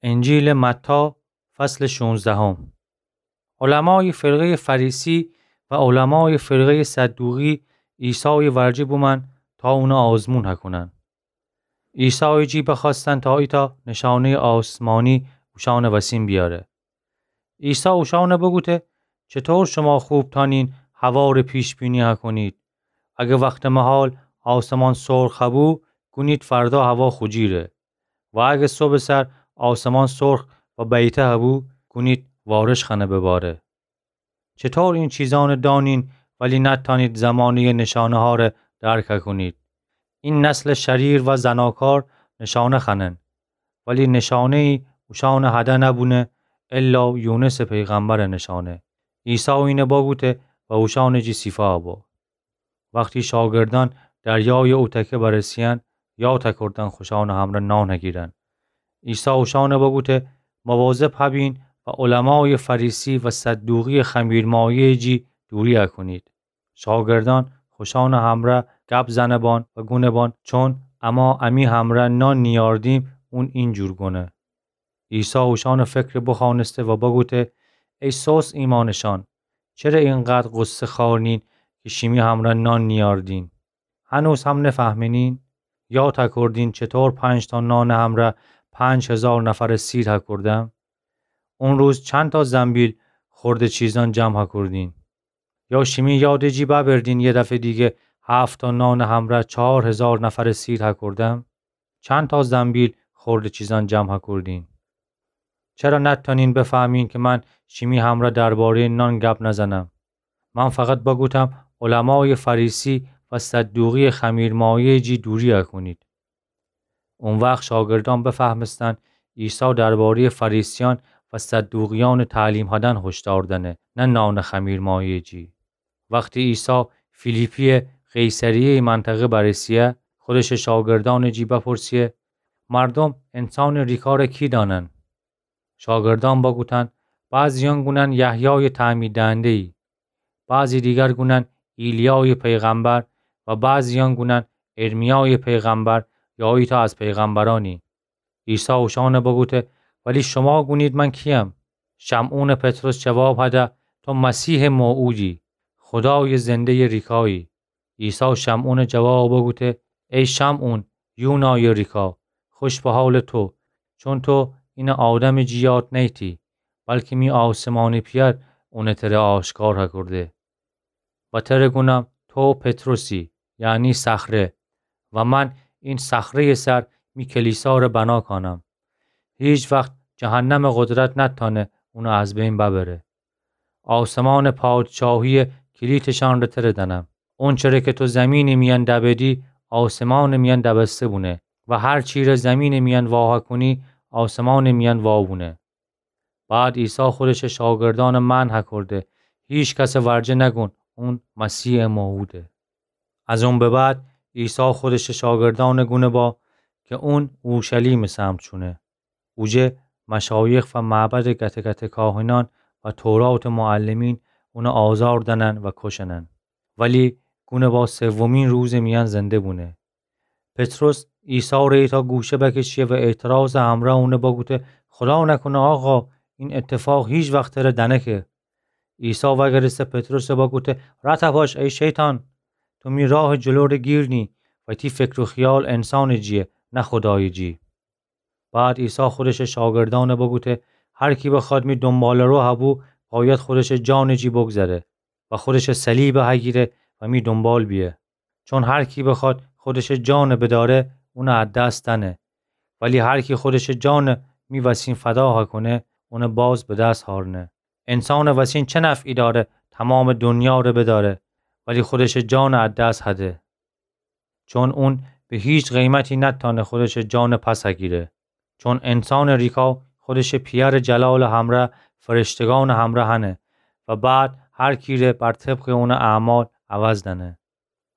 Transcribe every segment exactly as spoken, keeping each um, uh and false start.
انجیلٚ متی، فصلٚ شونزدهم. علمایٚ فرقهٔ فریسی و علمایٚ فرقهٔ صدوقی عیسایٚ ورجه بومأن تا اونَ آزمون هکونن. عیسایٚ جی بخوأستن تا ایتأ نشانهٔ آسمانی اوشأنٚ وسین بیاره. عیسی اوشأنَ بگوته: چطور شما خوب تأنین هوا ره پیش‌بینی هکونید؟ اگه وختٚ مهال آسمان سرخ هبو، گونید فردا هوا خوجیره. و اگه صبحٚ سر آسمان سرخ و بیته هبو، گونید وارش خوأنه بباره. چطور این چیزأنَ دأنین ولی نتأنید زمانهٔ نشانه‌ها ره درک هکونید؟ این نسلٚ شریر و زناکار نشانه خوأنن، ولی نشانه‌یی اوشأنٚ هده نبونه، الا یونسٚ پیغمبرٚ نشانه. عیسی اینَ بگوته و اوشأنٚ جی سیفا بو. وختی شاگردأن دریایٚ اوتکه برسه‌یأن، یا تکردن خوشأنٚ همرأ نان هگیرن. عیسی اوشأنَ بگوته: مواظب هبین و علمایٚ فریسی و صدوقیٚ خمیرمایه‌یٚ جی دوری هکونید. شاگردأن خوشأنٚ همرأ گب زنه بان و گونه بان: چون اما امی همرأ نان نیأردیم، اون اینجور گونه. عیسی اوشأنٚ فکرَ بخوأنسته و بگوته: ای سست ایمأنٚ شأن، چره اینقدر غصه خوأرنین کی شیمی همرأ نان نیأردین؟ هنوز هم نفهمینین؟ یا تکردین چطور پنج تا نانٚ همرأ پنج هیزار نفرَ سیر هکردم؟ اون روز چند تا زنبیل خورده چیزأن جمع هکردین؟ یا شیمی یادٚ جی ببردین یه دفعه دیگه هفت تا نانٚ همرأ چهار هیزار نفرَ سیر هکردم؟ چند تا زنبیل خورده چیزأن جمع هکردین؟ چرا نتأنین بفهمین کی من شیمی همرأ دربارهٔ نان گب نزنم؟ من فقط بگوتم علمایٚ فریسی و صدوقیٚ خمیرمایه‌یٚ جی دوری هکونید. او وخت شاگردأن بفهمستن عیسی دربارهٔ فریسیأن و صدوقیأنٚ تعلیم هدن هشدار دأنه، نه نانٚ خمیرمایه‌یٚ جی. وختی عیسی فیلیپیٚ قیصریه‌یٚ منطقه برسه‌یه، خودشٚ شاگردأنٚ جی بپرسه‌یه: مردوم انسانٚ ریکا ره کی دأنن؟ شاگردأن بگوتن: بعضیأن گونن یحیایٚ تعمیر‌دهنده‌یی، بعضی دیگر گونن ایلیایٚ پیغمبر و بعضیأن گونن ارمیایٚ پیغمبر یا ایتأ از پیغمبرأنی. عیسی اوشأنَ بگوته: ولی شما گونید من کی‌یم؟ شمعونٚ پطرس جواب هده: تو مسیحٚ موعودی، خودایٚ زنده‌یٚ ریکایی. عیسی شمعونٚ جواب بگوته: ای شمعون، یونایٚ ریکا، خوش به حالٚ تو، چون تو اینَ آدمٚ جی یاد نیتی، بلکی می آسمانیٚ پئر اونَ تره آشکار هکرده. و تره گونم تو پطرسی، یعنی صخره، و من این صخره‌یٚ سر می کلیسا ره بنا کانم. هیچ وخت جهنمٚ قدرت نتأنه اونَ از بین ببره. آسمانٚ پادشاهیٚ کلیتشأن ره تره دأنم. اونچره کی تو زیمینٚ میأن دبدی، آسمانٚ میأن دبسته بونه، و هر چی ره زیمینٚ میأن واها کونی، آسمانٚ میأن وا بونه. بعد عیسی خودشٚ شاگردأنَ منع هکرده: هیچ کسٚ ورجه نگون اون مسیحٚ موعوده. از اون به بعد عیسی خودشٚ شاگردأنَ گونه با کی اون اورشلیمٚ سمت شونه. اوجه مشایخ و معبدٚ گته گته کاهنأن و توراتٚ معلمین اونَ آزار دأنن و کشنن. ولی گونه با سومین روزٚ میأن زنده بونه. پطرس عیسی ره ایتأ گوشه بکشیه و اعتراضٚ همرأ اونَ بگوته: خدا نکونه آقا، این اتفاق هیچ وخت تره دنکه. عیسی وگرسته پطرسَ بگوته: رد هپاش ای شیطان، تو می راهٚ جلو ره گیر نی، و تی فکر و خیال انسانٚ جیه، نه خودایٚ جی. بعد عیسی خودشٚ شاگردأنَ بگوته: هر کی بخواد می دونباله‌رو هبو، باید خودشٚ جانٚ جی بگذره و خودشٚ صلیبَ هگیره و می دونبال بیه. چون هر کی بخواد خودشٚ جانَ بداره، اونَ از دست دنه. ولی هر کی خودشٚ جانَ می وسین فدا هکونه، اونَ باز به دست هارنه. انسانٚ وسین چه نفعی داره تومامٚ دونیا ره بداره، ولی خودشٚ جانَ از دست هده؟ چون اون به هیچ قیمتی نتأنه خودشٚ جانَ پس هگیره. چون انسانٚ ریکا خودشٚ پیأرٚ جلالٚ همرأ فرشتگانٚ همرأ هنه و بعد هر کی ره بر طبقٚ اونٚ اعمال عوض دنه.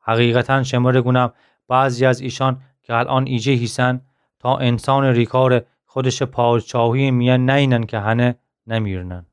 حقیقتاً شمره گونم، بعضی از ایشأن کی الأن ایجه هیسن، تا انسانٚ ریکا ره خودشٚ پادشاهیٚ میأن نینن کی هنه، نمیرنن.